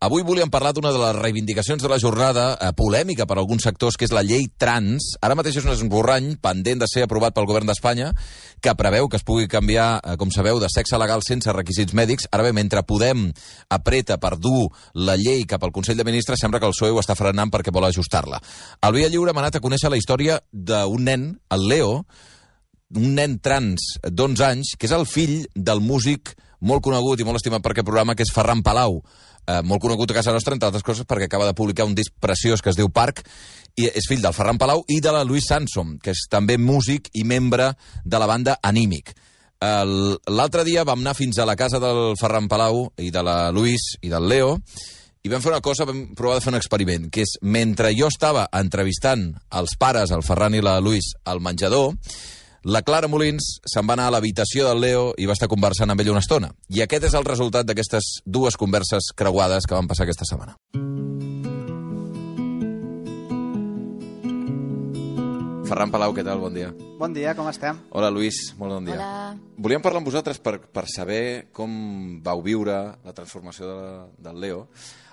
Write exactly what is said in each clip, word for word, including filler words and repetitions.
Avui volíem parlar d'una de les reivindicacions de la jornada, eh, polèmica per a alguns sectors, que és la llei trans. Ara mateix és un esborrany pendent de ser aprovat pel govern d'Espanya, que preveu que es pugui canviar, eh, com sabeu, de sexe legal sense requisits mèdics. Ara bé, mentre Podem apreta per dur la llei cap al Consell de Ministres, sembla que el P S O E ho està frenant perquè vol ajustar-la. Al Via Lliure hem anat a conèixer la història d'un nen, el Leo, un nen trans d'onze anys, que és el fill del músic molt conegut i molt estimat per aquest programa, que és Ferran Palau, eh, molt conegut a casa nostra, entre altres coses, perquè acaba de publicar un disc preciós que es diu Parc, i és fill del Ferran Palau i de la Louise Sansom, que és també músic i membre de la banda Anímic. L'altre dia vam anar fins a la casa del Ferran Palau i de la Louise i del Leo, i vam fer una cosa, vam provar de fer un experiment, que és, mentre jo estava entrevistant els pares, el Ferran i la Louise, al menjador, la Clara Molins se'n va anar a l'habitació del Leo i va estar conversant amb ell una estona. I aquest és el resultat d'aquestes dues converses creuades que van passar aquesta setmana. Ferran Palau, què tal? Bon dia. Bon dia, com estem? Hola, Lluís, molt bon dia. Hola. Volíem parlar amb vosaltres per, per saber com vau viure la transformació de, del Leo.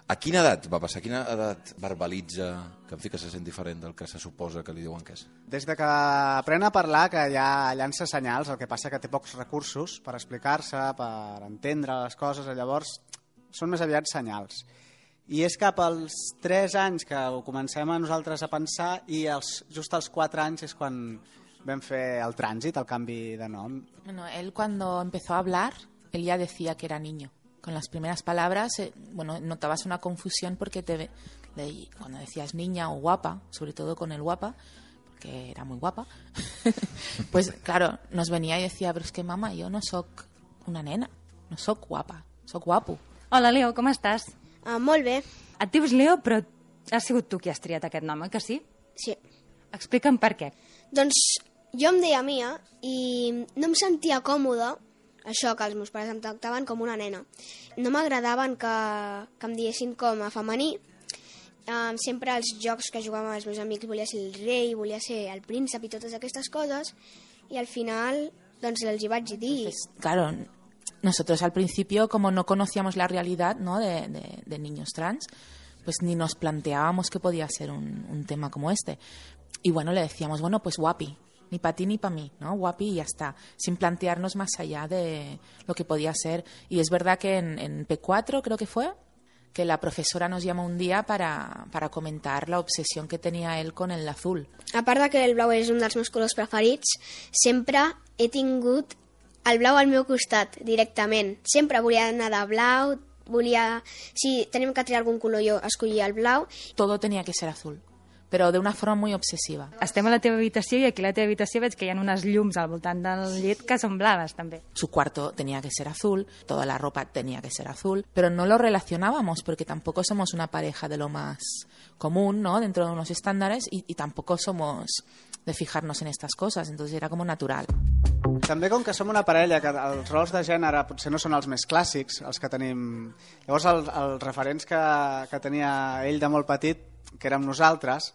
A quina edat va passar? A quina edat verbalitza que, en fi, que se sent diferent del que se suposa que li diuen que és? Des de que aprèn a parlar, que ja llança senyals, el que passa que té pocs recursos per explicar-se, per entendre les coses, llavors són més aviat senyals. I és cap als tres anys que ho comencem a nosaltres a pensar i els, just als quatre anys és quan vam fer el trànsit, el canvi de nom. Bueno, él cuando empezó a hablar, él ya decía que era niño. Con las primeras palabras, eh, bueno, notabas una confusión porque te, de, cuando decías niña o guapa, sobre todo con el guapa, porque era muy guapa, pues claro, nos venía y decía, pero es que mamá, yo no soc una nena, no soc guapa, soc guapo. Hola, Leo, com estàs? Uh, molt bé. Et dius Leo, però has sigut tu qui has triat aquest nom, eh, que sí? Sí. Explica'm per què. Doncs jo em deia Mia i no em sentia còmode, això, que els meus pares em tractaven com una nena. No m'agradaven que, que em diguessin com a femení. Um, sempre als jocs que jugàvem amb els meus amics volia ser el rei, volia ser el príncep i totes aquestes coses, i al final doncs els hi vaig dir. Entonces, claro, nosotros al principio, como no conocíamos la realidad, ¿no?, de, de, de niños trans, pues ni nos planteábamos que podía ser un, un tema como este. Y bueno, le decíamos, bueno, pues guapi. Ni para ti ni para mí, ¿no? Guapi y ya está, sin plantearnos más allá de lo que podía ser. Y es verdad que en, en P cuatro, creo que fue, que la profesora nos llamó un día para, para comentar la obsesión que tenía él con el azul. A part de que el blau és un dels meus colors preferits, sempre he tingut el blau al meu costat, directament. Sempre volia anar de blau, volia... Si tenim que triar algun color, jo escollia el blau. Todo tenía que ser azul, però de una forma muy obsesiva. Estem a la teva habitació i aquí a la teva habitació veig que hi ha unes llums al voltant del llit que són blaves, també. Su cuarto tenía que ser azul, toda la ropa tenía que ser azul, pero no lo relacionábamos porque tampoco somos una pareja de lo más común, ¿no?, dentro de unos estándares y, y tampoco somos de fijarnos en estas cosas, entonces era como natural. També com que som una parella, que els rols de gènere potser no són els més clàssics, els que tenim... Llavors els, els referents que, que tenia ell de molt petit, que érem nosaltres,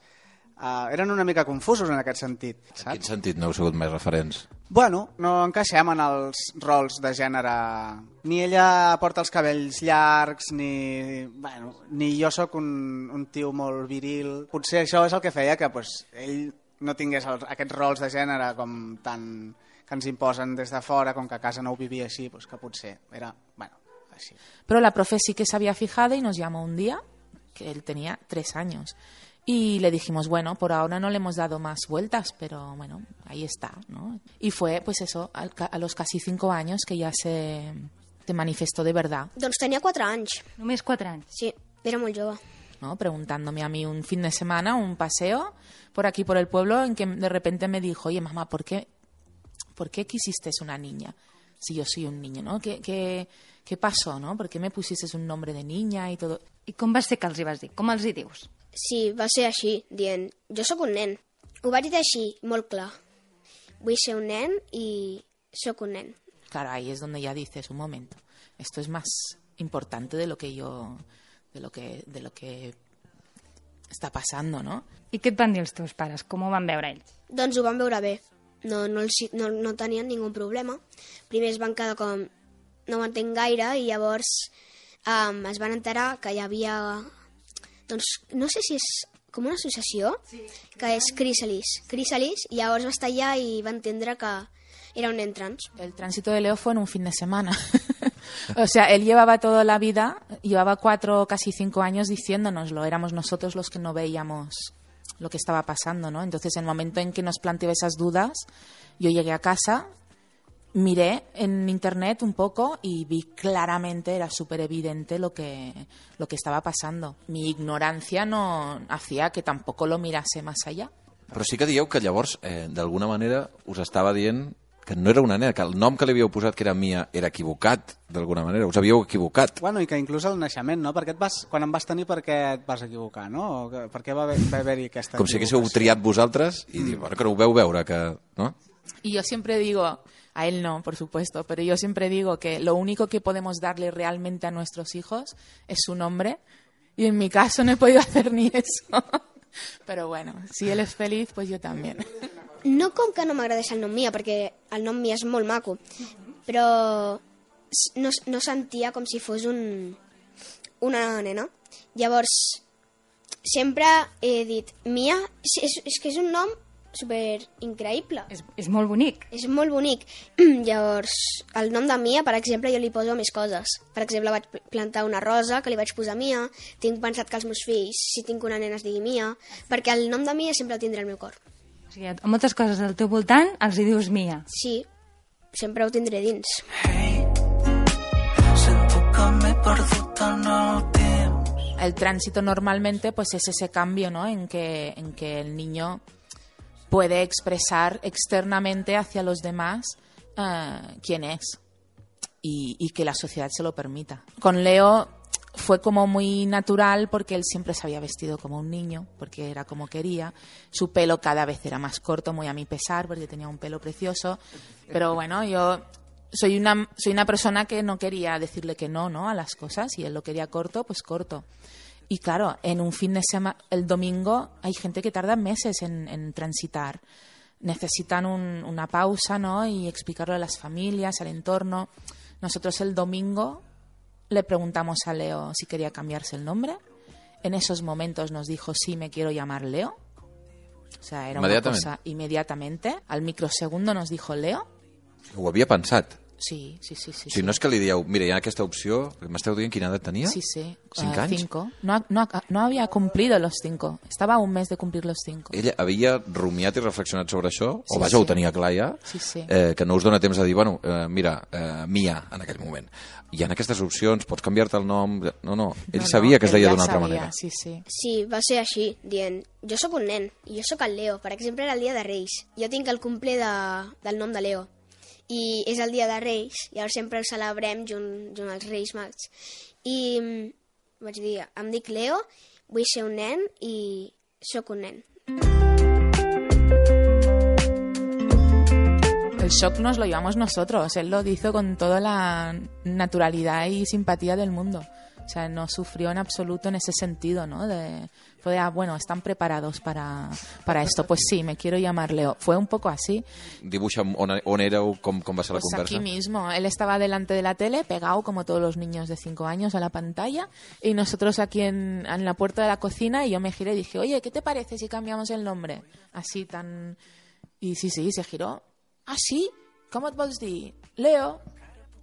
uh, eren una mica confusos en aquest sentit. Saps? En quin sentit no heu sigut més referents? Bueno, no encaixem en els rols de gènere. Ni ella porta els cabells llargs, ni, bueno, ni jo sóc un, un tio molt viril. Potser això és el que feia que pues, ell no tingués els, aquests rols de gènere com tan, que ens imposen des de fora, com que a casa no ho vivia així, pues que potser era, bueno, així. Però la profe sí que se había fijado y nos llamó un día, que él tenía tres años. Y le dijimos, bueno, por ahora no le hemos dado más vueltas, pero bueno, ahí está, ¿no? Y fue, pues eso, a, a los casi cinco años que ya se, se manifestó de verdad. Doncs tenia quatre anys. Només quatre anys? Sí, era molt jove. ¿No? Preguntándome a mí un fin de semana, un paseo por aquí, por el pueblo, en que de repente me dijo, oye, mamá, ¿por qué, ¿por qué quisiste una niña si yo soy un niño, ¿no? ¿Qué, qué, qué pasó, no? ¿Por qué me pusiste un nombre de niña y todo? I com va ser que els hi vas dir? Com els hi dius? Sí, va ser així, dient, jo sóc un nen. Ho vaig dir així, molt clar. Vull ser un nen i sóc un nen. Claro, ahí es donde ya dices, un momento, esto es más importante de lo que yo, de lo que, de lo que està passant, no? I què et van dir els teus pares? Com ho van veure ells? Doncs ho van veure bé. No, no, els, no, no tenien ningú problema. Primer es van quedar com no m'entenc gaire i llavors um, es van enterar que hi havia, doncs, no sé si és com una associació, que és Chrysalis. Chrysalis, i llavors va estar allà i va entendre que era un nen trans. El tránsito de Leo fue en un fin de semana. O sea, él llevaba toda la vida, llevaba cuatro, casi cinco años diciéndonoslo. Éramos nosotros los que no veíamos lo que estaba pasando, ¿no? Entonces, en el momento en que nos planteó esas dudas, yo llegué a casa, miré en internet un poco y vi claramente, era súper evidente lo que, lo que estaba pasando. Mi ignorancia no hacía que tampoco lo mirase más allá. Però sí que dieu que llavors, eh, d'alguna manera, us estava dient que no era una nena, que el nom que li havíeu posat, que era Mia, era equivocat, d'alguna manera. Us havíeu equivocat. Bueno, i que inclús al naixement, no? Perquè et vas, quan em vas tenir, per què et vas equivocar, no? O que, per què va haver- va haver-hi aquesta Com si haguéssiu equivocació? triat vosaltres i dir, bueno, que no ho veu veure, que... No? Y yo siempre digo, a él no, por supuesto, pero yo siempre digo que lo único que podemos darle realmente a nuestros hijos es su nombre, y en mi caso no he podido hacer ni eso. Pero bueno, si él es feliz, pues yo también. No com que no m'agradés el nom Mia, perquè el nom Mia és molt maco, però s- no, s- no sentia com si fos un, una nena. Llavors, sempre he dit Mia, és, és, és que és un nom super increïble. És, és molt bonic. És molt bonic. Llavors, el nom de Mia, per exemple, jo li poso més coses. Per exemple, vaig pl- plantar una rosa, que li vaig posar Mia. Tinc pensat que els meus fills, si tinc una nena, es digui Mia, perquè el nom de Mia sempre el tindré al meu cor. O sigui, a moltes coses al teu voltant els hi dius Mia. Sí, sempre ho tindré dins. El tránsito normalmente pues es ese cambio, ¿no? En que, en que el niño puede expresar externamente hacia los demás eh, quién es y, y que la sociedad se lo permita. Con Leo fue como muy natural porque él siempre se había vestido como un niño, porque era como quería. Su pelo cada vez era más corto, muy a mi pesar, porque tenía un pelo precioso. Pero bueno, yo soy una, soy una persona que no quería decirle que no, ¿no? A las cosas, y él lo quería corto, pues corto. Y claro, en un fin de semana, el domingo, hay gente que tarda meses en, en transitar. Necesitan un, una pausa, ¿no? Y explicarlo a las familias, al entorno. Nosotros el domingo le preguntamos a Leo si quería cambiarse el nombre. En esos momentos nos dijo, sí, me quiero llamar Leo. O sea, era una Inmediatamente. cosa inmediatamente. Al microsegundo nos dijo Leo. Ho havia pensat. Sí, sí, sí. sí, O sigui, no és que li dieu, mira, hi ha aquesta opció, m'esteu dient quina edat tenia? Sí, sí. Cinc eh, anys? Cinco. No, ha- no, ha- no había cumplido los cinco. Estaba a un mes de cumplir los cinco. Ella havia rumiat i reflexionat sobre això? Sí, o vaja, sí. ho tenia clar ja? Sí, sí. Eh, que no us dona temps de dir, bueno, eh, mira, eh, Mia, en aquell moment. Hi ha aquestes opcions, pots canviar-te el nom... No, no, ell No, sabia no, que es él deia ya d'una altra sabía, manera. Sí, sí. Sí, va ser així, dient, jo sóc un nen, i jo sóc el Leo. Per exemple, era el dia de Reis. Jo tinc el cumple de, del nom de Leo. I és el dia de Reis, i llavors sempre ho celebrem junt, junt als Reis Mags. I mm, vaig dir, em dic Leo, vull ser un nen i sóc un nen. El shock nos lo llevamos nosotros. Él lo hizo con toda la naturalidad y simpatía del mundo. O sea, no sufrió en absoluto en ese sentido, ¿no? De, fue de, ah, bueno, están preparados para, para esto. Pues sí, me quiero llamar Leo. Fue un poco así. Dibuixa'm on, on éreu, com, com va ser la Pues conversa. aquí mismo. Él estaba delante de la tele, pegado como todos los niños de cinco años a la pantalla, y nosotros aquí en, en la puerta de la cocina, y yo me giré y dije, oye, ¿qué te parece si cambiamos el nombre? Así tan... Y sí, sí, se giró. ¿Ah, sí? ¿Cómo et vols dir? Leo.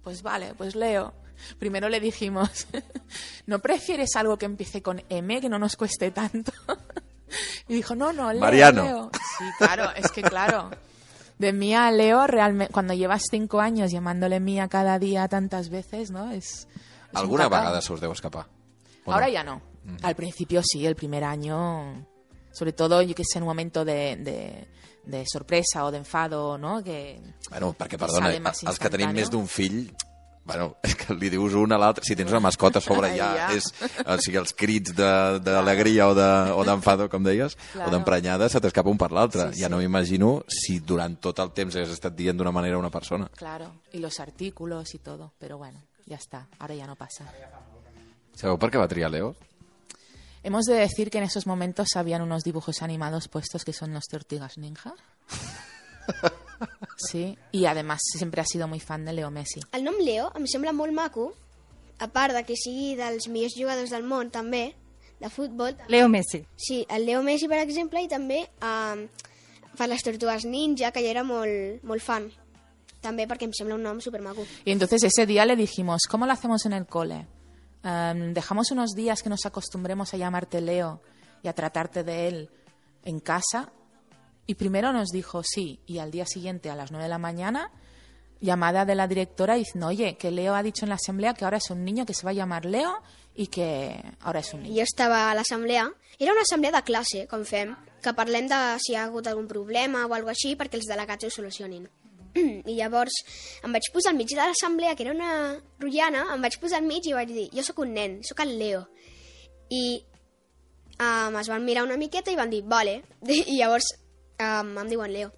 Pues vale, pues Leo. Primero le dijimos, ¿no prefieres algo que empiece con M, que no nos cueste tanto? Y dijo, no, no, Leo, Mariano. Leo. Sí, claro, es que claro. De Mía a Leo, realmente, cuando llevas cinco años llamándole Mía cada día tantas veces, ¿no? Es, es un Alguna cacao. vegada se us deu escapar? ¿O Ahora no? ya no. Al principio sí, el primer año, sobre todo, yo que sé, en un momento de, de, de sorpresa o de enfado, ¿no? Que Bueno, perquè, que perdona, sale más els que tenim instantáneo. més d'un fill, bueno, és que li dius un a l'altre, si tens una mascota a sobre Ai, ja, ja. és, o sigui, els crits de- d'alegria o de- o d'enfado, com deies, Claro. o d'emprenyada, se t'escapa un per l'altre. Sí, Ja sí. no m'imagino si durant tot el temps has estat dient d'una manera a una persona. Claro, y los artículos y todo, pero bueno, ya está, ahora ya no pasa. Sabeu per què va triar Leo? Hemos de decir que en esos momentos habían unos dibujos animados puestos que son los Tortugas Ninja. Sí, y además siempre ha sido muy fan de Leo Messi. El nom Leo em sembla molt maco a part de que sigui dels millors jugadors del món, també, de futbol... Leo Messi. Sí, el Leo Messi, per exemple, i també eh, per les Tortugues Ninja, que jo era molt, molt fan. També perquè em sembla un nom supermaco. Y entonces ese día le dijimos, ¿cómo lo hacemos en el cole? Um, ¿Dejamos unos días que nos acostumbremos a llamarte Leo y a tratarte de él en casa? Y primero nos dijo sí, y al día siguiente a las nueve de la mañana, llamada de la directora diciendo, oye, que Leo ha dicho en la asamblea que ahora es un niño, que se va a llamar Leo y que ahora es un niño. Jo estava a l'assemblea. Era una assemblea de classe, com fem, que parlem de si hi ha hagut algun problema o alguna així perquè els delegats ho solucionin. I llavors em vaig posar al mig de l'assemblea, que era una rotllana, em vaig posar al mig i vaig dir, jo sóc un nen, sóc el Leo. I um, es van mirar una miqueta i van dir, vale. I llavors um, em diuen Leo.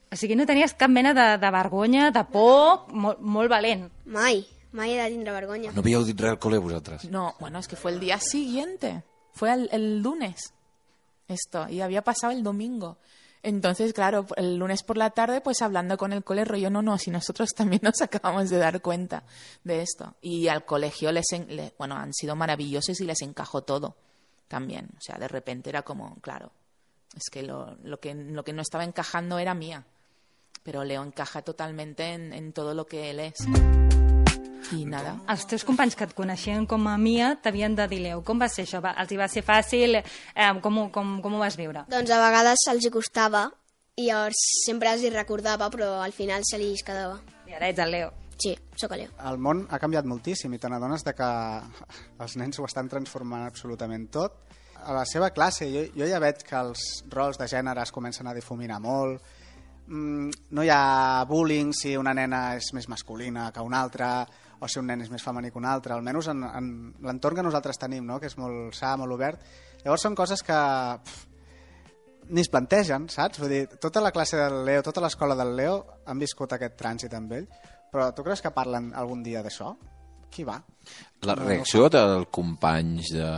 O sigui, no tenies cap mena de, de vergonya, de por, molt, molt valent. Mai, mai he de tindre vergonya. No havíeu dit res al col·le vosaltres? No, bueno, es que fue el día siguiente, fue el, el lunes esto, y había pasado el domingo. Entonces, claro, el lunes por la tarde, pues hablando con el cole, rollo, no, no, si nosotros también nos acabamos de dar cuenta de esto. Y al colegio, les, en, le, bueno, han sido maravillosos y les encajó todo también. O sea, de repente era como, claro, es que lo, lo que lo que no estaba encajando era mía. Pero Leo encaja totalmente en, en todo lo que él es. I nada. Els teus companys que et coneixien com a Mia t'havien de dir Leo. Com va ser això? Va, els hi va ser fàcil? Eh, com, ho- com, com ho vas viure? Doncs a vegades els hi costava i llavors sempre els hi recordava, però al final se li quedava. I ara ets el Leo. Sí, sóc el Leo. El món ha canviat moltíssim i te n'adones de que els nens ho estan transformant absolutament tot. A la seva classe, jo, jo ja veig que els rols de gènere es comencen a difuminar molt. Mm, no hi ha bullying si una nena és més masculina que una altra o si un nen és més femení que un altre, almenys en, en l'entorn que nosaltres tenim, no? Que és molt sa, molt obert. Llavors són coses que pff, ni es plantegen, saps? Vull dir, tota la classe del Leo, tota l'escola del Leo han viscut aquest trànsit amb ell, però tu creus que parlen algun dia d'això? Qui va? La reacció dels companys, de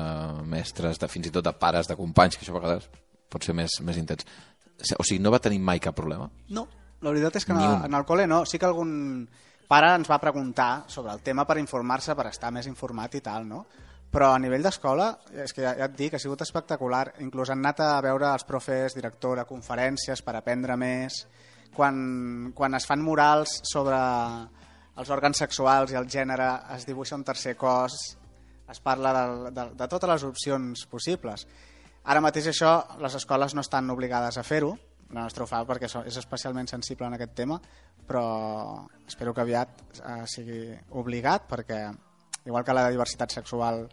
mestres, de fins i tot de pares de companys, que això a vegades pot ser més, més intens. O sigui, no va tenir mai cap problema? No, la veritat és que Ni en, un. en el col·le no. Sí que algun pare ens va preguntar sobre el tema per informar-se, per estar més informat i tal, no? Però a nivell d'escola, és que ja, ja et dic, ha sigut espectacular. Inclús han anat a veure els profes, directora, conferències per aprendre més. Quan, quan es fan murals sobre els òrgans sexuals i el gènere, es dibuixa un tercer cos, es parla de, de, de totes les opcions possibles. Ara mateix això, les escoles no estan obligades a fer-ho, la nostra ho fa perquè és especialment sensible en aquest tema, però espero que aviat eh, sigui obligat, perquè igual que la diversitat sexual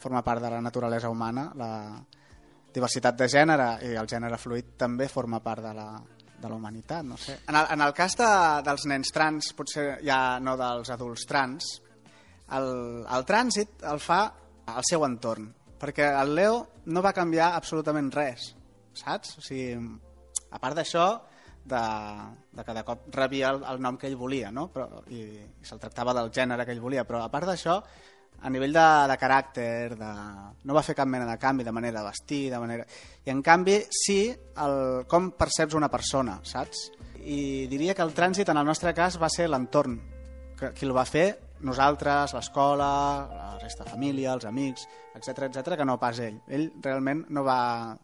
forma part de la naturalesa humana, la diversitat de gènere i el gènere fluid també forma part de la, de la humanitat, no sé. En el, en el cas de, dels nens trans, potser ja no dels adults trans, el, el trànsit el fa al seu entorn, perquè el Leo no va canviar absolutament res, saps? O sigui, a part d'això, de, de que de cop rebia el, el nom que ell volia, no? Però, i, i se'l tractava del gènere que ell volia, però a part d'això, a nivell de, de caràcter, de... no va fer cap mena de canvi, de manera de vestir, de manera... I en canvi, sí, el, com perceps una persona, saps? I diria que el trànsit, en el nostre cas, va ser l'entorn. Que, qui el va fer, nosaltres, l'escola, la resta de família, els amics, etcètera, etcètera, que no pas ell. Ell realment no va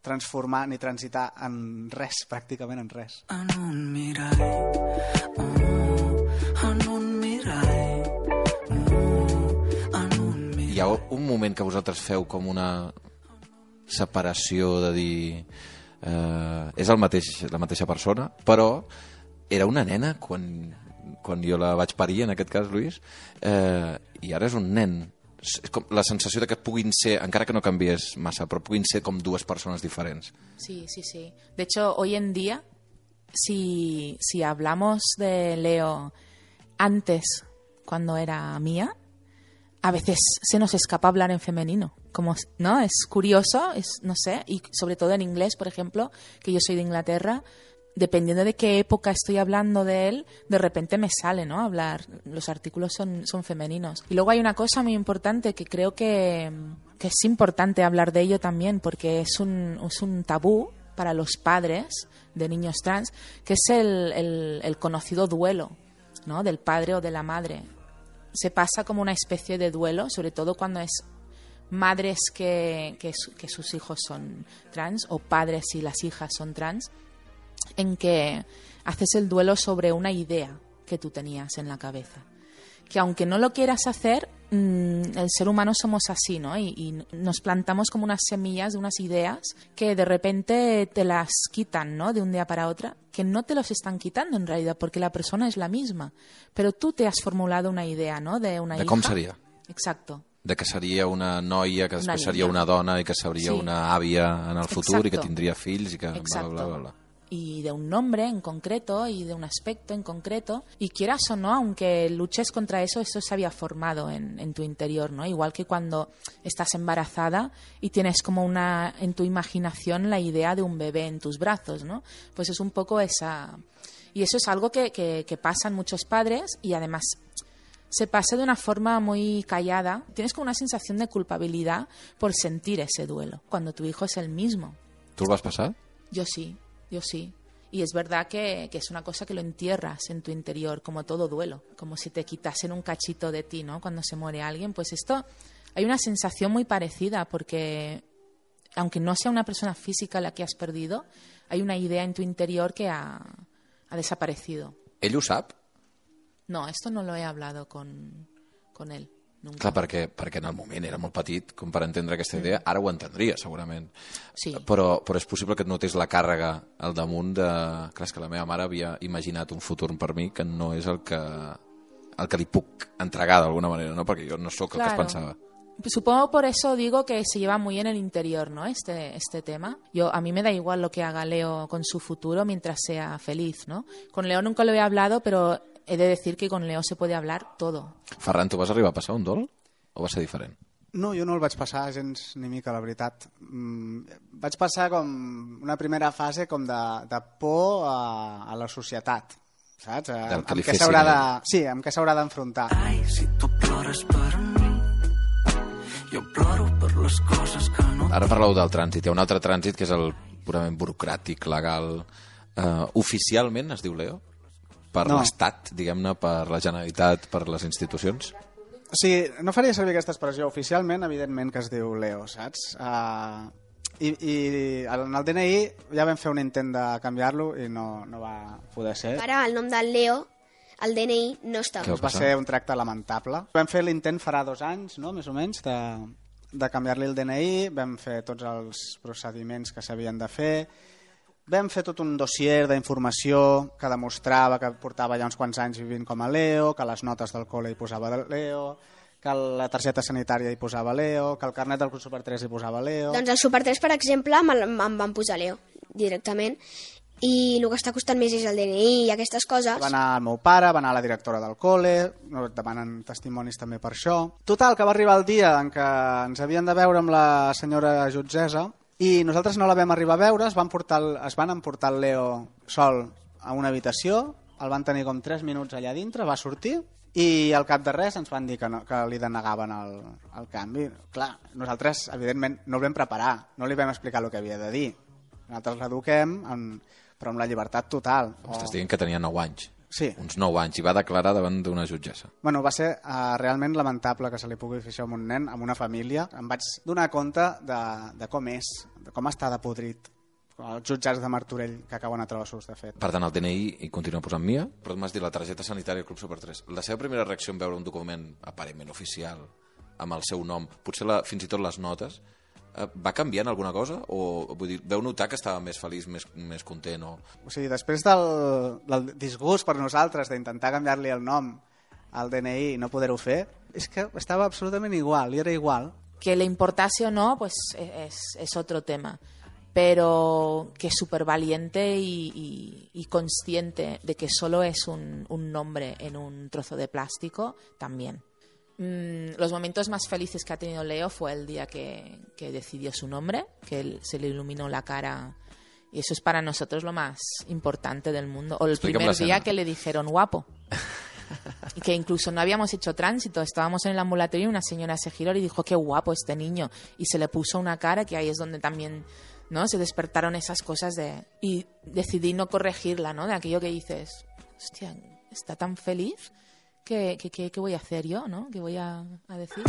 transformar ni transitar en res, pràcticament en res. En un mirall, oh, en un mirall, oh, en un mirall. Hi ha un moment que vosaltres feu com una separació de dir eh, és el mateix, la mateixa persona, però era una nena quan, quan jo la vaig parir, en aquest cas, Luis, eh, i ara és un nen. És com la sensació de que puguin ser, encara que no canvies massa, però puguin ser com dues persones diferents. Sí, sí, sí. De hecho, hoy en día, si, si hablamos de Leo antes, cuando era Mía, a veces se nos escapa hablar en femenino. Como, ¿no? Es curioso, es, no sé, y sobre todo en inglés, por ejemplo, que yo soy de Inglaterra, dependiendo de qué época estoy hablando de él, de repente me sale, ¿no? Hablar, los artículos son, son femeninos. Y luego hay una cosa muy importante que creo que, que es importante hablar de ello también, porque es un, es un tabú para los padres de niños trans, que es el, el, el conocido duelo, ¿no? Del padre o de la madre. se pasa como una especie de duelo, sobre todo cuando es madres que, que, su, que sus hijos son trans o padres y las hijas son trans, en que haces el duelo sobre una idea que tú tenías en la cabeza. Que aunque no lo quieras hacer, mmm, el ser humano somos así, ¿no? Y, y nos plantamos como unas semillas de unas ideas que de repente te las quitan, ¿no? De un día para otro, que no te los están quitando en realidad, porque la persona es la misma. Pero tú te has formulado una idea, ¿no? De una de hija. com seria. Exacto. De que seria una noia, que després Una seria niña. una dona i que seria Sí. una àvia en el futur Exacto. i que tindria fills i que... Exacto. Bla, bla, bla, bla. Y de un nombre en concreto y de un aspecto en concreto, y quieras o no, aunque luches contra eso, eso se había formado en, en tu interior, ¿no? Igual que cuando estás embarazada y tienes como una en tu imaginación la idea de un bebé en tus brazos, ¿no? Pues es un poco esa... Y eso es algo que, que, que pasan muchos padres y además se pasa de una forma muy callada. Tienes como una sensación de culpabilidad por sentir ese duelo, cuando tu hijo es el mismo. Tu el vas passar? Yo sí, yo sí. Y es verdad que, que es una cosa que lo entierras en tu interior, como todo duelo, como si te quitasen un cachito de ti, ¿no? Cuando se muere alguien, pues esto, hay una sensación muy parecida, porque aunque no sea una persona física la que has perdido, hay una idea en tu interior que ha, ha desaparecido. Ell ho sap? No, esto no lo he hablado con, con él. Nunca. Clar, perquè, perquè en el moment era molt petit com per entendre aquesta idea, ara ho entendria segurament. Sí. Però, però és possible que et notés la càrrega al damunt de... Clar, és que la meva mare havia imaginat un futur per mi que no és el que, el que li puc entregar d'alguna manera, no? Perquè jo no sóc el que es Claro. pensava. Supongo por eso digo que se lleva muy en el interior, ¿no? Este, este tema. Yo, a mí me da igual lo que haga Leo con su futuro mientras sea feliz, ¿no? Con Leo nunca lo he hablado, pero he de decir que con Leo se puede hablar todo. Ferran, tu vas arribar a passar un dol? O va ser diferent? No, jo no el vaig passar gens ni mica, la veritat. Mm, vaig passar com una primera fase com de, de por a, a la societat, saps? A, Del que li amb què fessin s'haurà a de, sí, amb què s'haurà d'enfrontar. Ai, si tu plores per mi, jo ploro per les coses que no... Ara parleu del trànsit. Hi ha un altre trànsit que és el purament burocràtic, legal. Uh, oficialment es diu Leo? Per No. l'Estat, diguem-ne, per la Generalitat, per les institucions? O sigui, no faria servir aquesta expressió. Oficialment, evidentment, que es diu Leo, saps? Uh, i, I en el D N I ja vam fer un intent de canviar-lo i no, no va poder ser. Ara el nom del Leo, el D N I, no està. Què va Va passar? ser un tracte lamentable. Vam fer l'intent farà dos anys, no?, més o menys, de, de canviar-li el D N I, vam fer tots els procediments que s'havien de fer, vam fer tot un dossier d'informació que demostrava que portava ja uns quants anys vivint com a Leo, que les notes del col·le hi posava Leo, que la targeta sanitària hi posava Leo, que el carnet del Club Super tres hi posava Leo... Doncs el Super tres, per exemple, me'l- em van posar Leo directament, i el que està costant més és el D N I i aquestes coses. Va anar el meu pare, va anar la directora del col·le, no et demanen testimonis també per això. Total, que va arribar el dia en què ens havien de veure amb la senyora jutgessa i nosaltres no la vam arribar a veure, es van, portar el, es van emportar el Leo sol a una habitació, el van tenir com tres minuts allà dintre, va sortir i al cap de res ens van dir que, no, que li denegaven el, el canvi. Clar, nosaltres, evidentment, no el vam preparar, no li vam explicar el que havia de dir. Nosaltres l'eduquem, en, però amb la llibertat total. M'estàs dient que tenia nou anys. Sí. Uns nou anys, i va declarar davant d'una jutgessa. Bueno, va ser uh, realment lamentable que se li pugui fer això a un nen, a una família. Em vaig donar compte de, de com és, de com està de podrit els jutjats de Martorell que acaben a trossos, de fet. Per tant, el D N I hi continua posant Mia, però m'has dit la targeta sanitària del Club Super tres. La seva primera reacció en veure un document aparentment oficial, amb el seu nom, potser la, fins i tot les notes, eh, va canviant alguna cosa? O vull dir, veu notar que estava més feliç, més, més content? O... O sigui, després del, del disgust per nosaltres d'intentar canviar-li el nom al D N I i no poder-ho fer, és que estava absolutament igual, i era igual. Que le importase o no, pues es, es otro tema. Pero que súper valiente y, y, y consciente de que solo es un, un nombre en un trozo de plástico, también. Mm, los momentos más felices que ha tenido Leo fue el día que, que decidió su nombre, que él, se le iluminó la cara. Y eso es para nosotros lo más importante del mundo. O el Explícame primer la día escena. que le dijeron guapo. Y que incluso no habíamos hecho tránsito, estábamos en el ambulatorio y una señora se giró y dijo, qué guapo este niño. Y se le puso una cara que ahí es donde también, ¿no?, se despertaron esas cosas de... Y decidí no corregirla, ¿no?, de aquello que dices, hostia, está tan feliz ¿qué, qué, qué, qué voy a hacer yo, no? ¿Qué voy a, a decir?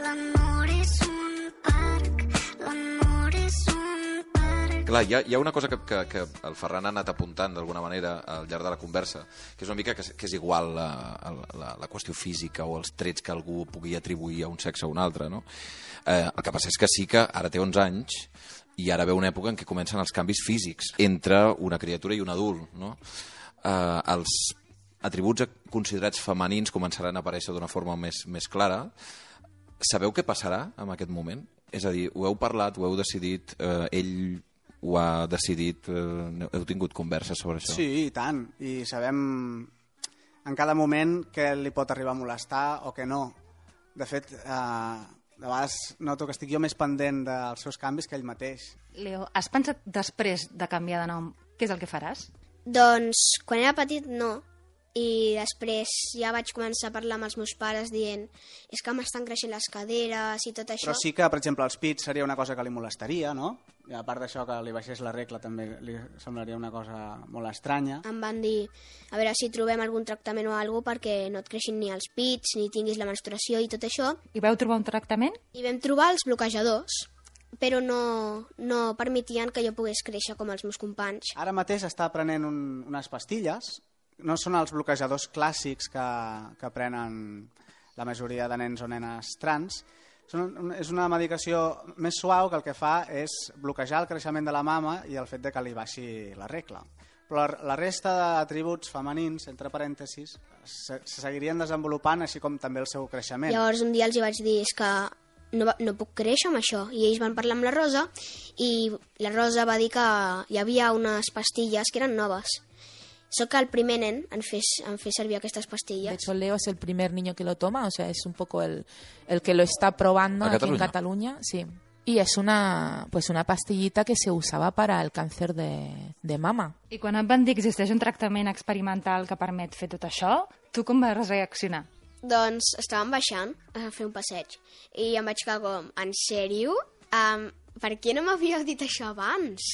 L'amor és un parc, l'amor és un parc. Clar, hi ha, hi ha una cosa que, que, que el Ferran ha anat apuntant d'alguna manera al llarg de la conversa, que és una mica que, és- que és igual la, la, la qüestió física o els trets que algú pugui atribuir a un sexe o un altre, no? Eh, el que passa és que sí que ara té onze anys i ara ve una època en què comencen els canvis físics entre una criatura i un adult, no? Eh, els atributs considerats femenins començaran a aparèixer d'una forma més, més clara. Sabeu què passarà en aquest moment? És a dir, ho heu parlat, ho heu decidit, eh, ell ho ha decidit, eh, heu tingut converses sobre això? Sí, i tant. I sabem en cada moment què li pot arribar a molestar o què no. De fet, eh, de vegades noto que estic jo més pendent dels seus canvis que ell mateix. Leo, has pensat després de canviar de nom què és el que faràs? Doncs quan era petit no, i després ja vaig començar a parlar amb els meus pares dient és que m'estan creixent les caderes i tot això. Però sí que, per exemple, els pits seria una cosa que li molestaria, no? I a part d'això que li baixés la regla també li semblaria una cosa molt estranya. Em van dir a veure si trobem algun tractament o alguna cosa perquè no et creixin ni els pits, ni tinguis la menstruació i tot això. I vau trobar un tractament? I vam trobar els bloquejadors, però no, no permetien que jo pogués créixer com els meus companys. Ara mateix està prenent un, unes pastilles. No són els bloquejadors clàssics que, que prenen la majoria de nens o nenes trans. Són, és una medicació més suau que el que fa és bloquejar el creixement de la mama i el fet de que li baixi la regla. Però la, la resta d'atributs femenins, entre parèntesis, se, se seguirien desenvolupant, així com també el seu creixement. Llavors un dia els hi vaig dir és que no, va- no puc créixer amb això. I ells van parlar amb la Rosa i la Rosa va dir que hi havia unes pastilles que eren noves. Soc el primer nen en fer, en fer servir aquestes De pastilles. hecho, Leo es el primer niño que lo toma, o sea, es un poco el, el que lo está probando ¿A aquí Cataluña? en Cataluña, sí. Y es una, pues una pastillita que se usaba para el cáncer de, de mama. I quan et van dir que existeix un tractament experimental que permet fer tot això, tu com vas reaccionar? Doncs estàvem baixant a fer un passeig i em vaig quedar com, en sèrio? Um, per què no m'havíeu dit això abans?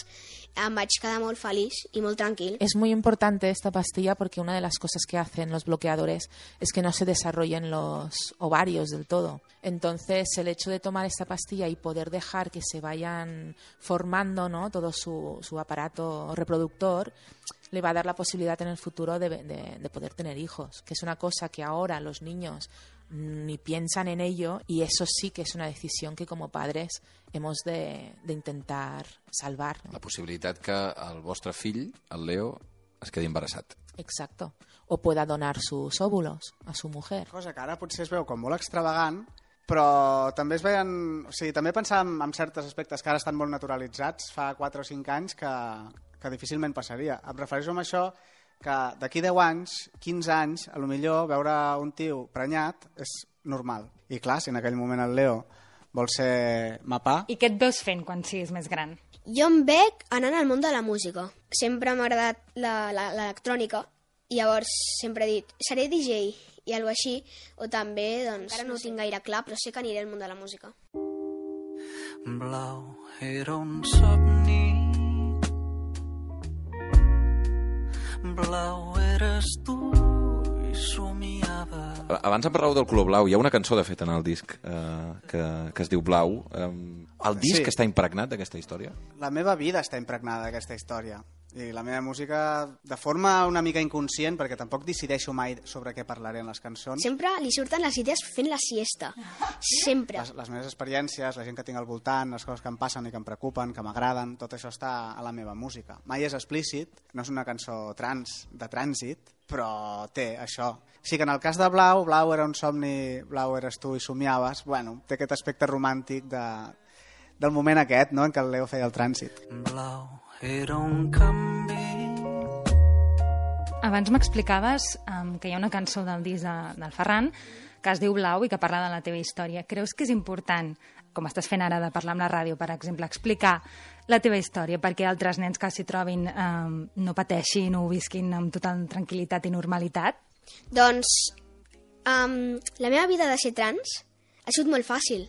Em vaig quedar molt feliç i molt tranquil. Es muy importante esta pastilla porque una de las cosas que hacen los bloqueadores es que no se desarrollen los ovarios del todo. Entonces, el hecho de tomar esta pastilla y poder dejar que se vayan formando, ¿no?, todo su, su aparato reproductor, le va a dar la posibilidad en el futuro de, de, de poder tener hijos, que es una cosa que ahora los niños ni piensan en ello, y eso sí que es una decisión que como padres hemos de, de intentar salvar, ¿no? La possibilitat que el vostre fill, el Leo, es quedi embarassat. Exacto. O pueda donar sus óvulos a su mujer. Cosa que ara potser es veu com molt extravagant, però també es veien... O sigui, també pensàvem en certs aspectes que ara estan molt naturalitzats, fa quatre o cinc anys, que, que difícilment passaria. Em refereixo a això que d'aquí deu anys, quinze anys, a lo millor veure un tio prenyat és normal. I clar, si en aquell moment el Leo vol ser mapà... I què et veus fent quan siguis més gran? Jo em veig anant al món de la música. Sempre m'ha agradat la- la- l'electrònica i llavors sempre he dit, seré D J i alguna així, o també, doncs, encara no ho tinc gaire clar, però sé que aniré al món de la música. Blau era un somni. Blau eres tu i somiava. Abans em parlàveu del color blau. Hi ha una cançó, de fet, en el disc eh, que, que es diu Blau. Eh, el disc Sí. està impregnat d'aquesta història? La meva vida està impregnada d'aquesta història. I la meva música, de forma una mica inconscient, perquè tampoc decideixo mai sobre què parlaré en les cançons, Sempre li surten les idees fent la siesta. Sempre. les, les meves experiències, la gent que tinc al voltant, les coses que em passen i que em preocupen, que m'agraden, tot això està a la meva música. Mai és explícit, no és una cançó trans, de trànsit, però té això. Sí que en el cas de Blau, Blau era un somni, Blau eres tu i somiaves, bueno, té aquest aspecte romàntic de, del moment aquest, no?, en què el Leo feia el trànsit. Blau era un canvi. Abans m'explicaves um, que hi ha una cançó del disc de, del Ferran que es diu Blau i que parla de la teva història. Creus que és important, com estàs fent ara de parlar amb la ràdio, per exemple, explicar la teva història perquè altres nens que s'hi trobin um, no pateixin o ho visquin amb total tranquil·litat i normalitat? Doncs um, la meva vida de ser trans ha sigut molt fàcil,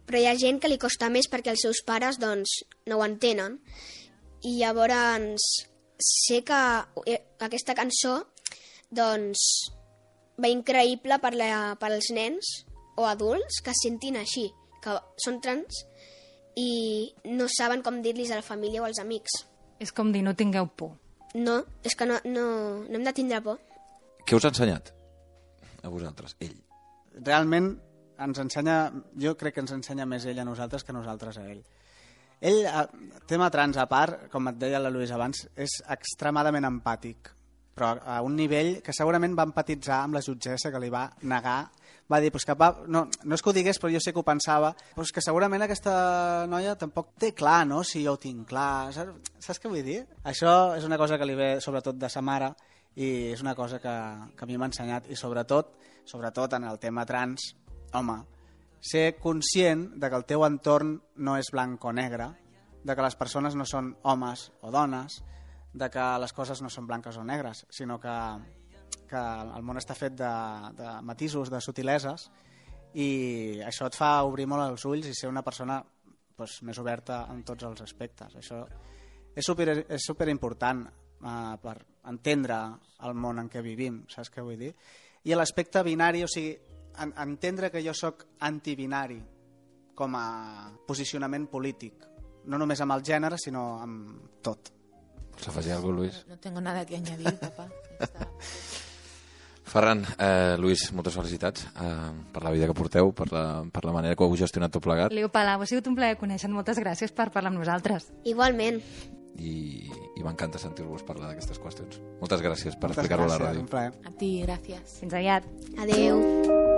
però hi ha gent que li costa més perquè els seus pares doncs, no ho entenen. I llavors sé que aquesta cançó doncs, va increïble per, la, per als nens o adults que es sentin així, que són trans i no saben com dir-los a la família o als amics. És com dir, no tingueu por. No, és que no, no, no hem de tindre por. Què us ha ensenyat a vosaltres, ell? Realment ens ensenya, jo crec que ens ensenya més ell a nosaltres que nosaltres a ell. Ell, tema trans a part, com et deia la Lluïsa abans, és extremadament empàtic, però a un nivell que segurament va empatitzar amb la jutgessa que li va negar. Va dir, pues que va, no, no és que ho digués, però jo sé que ho pensava, pues que segurament aquesta noia tampoc té clar, no?, si jo ho tinc clar. Saps, saps què vull dir? Això és una cosa que li ve sobretot de sa mare i és una cosa que, que a mi m'ha ensenyat. I sobretot, sobretot en el tema trans, home, ser conscient de que el teu entorn no és blanc o negre, de que les persones no són homes o dones, de que les coses no són blanques o negres, sinó que, que el món està fet de, de matisos, de subtileses, i això et fa obrir molt els ulls i ser una persona doncs, més oberta en tots els aspectes. Això és super, és super important eh, per entendre el món en què vivim, saps què vull dir? I l'aspecte binari, o sigui, en, entendre que jo sóc antibinari com a posicionament polític, no només amb el gènere, sinó amb tot. Vols afegir alguna cosa, Luis? No, no tengo nada que añadir, papá. Está... Ferran, eh, Luis, moltes felicitats eh, per la vida que porteu, per la, per la manera que ho heu gestionat tot plegat. Liu Palau, ha sigut un plaer conèixer. Moltes gràcies per parlar amb nosaltres. Igualment. I, i m'encanta sentir-vos parlar d'aquestes qüestions. Moltes gràcies per Moltes explicar-ho a la gràcies, ràdio. un plaer. A ti, gracias. Fins aviat. Adeu.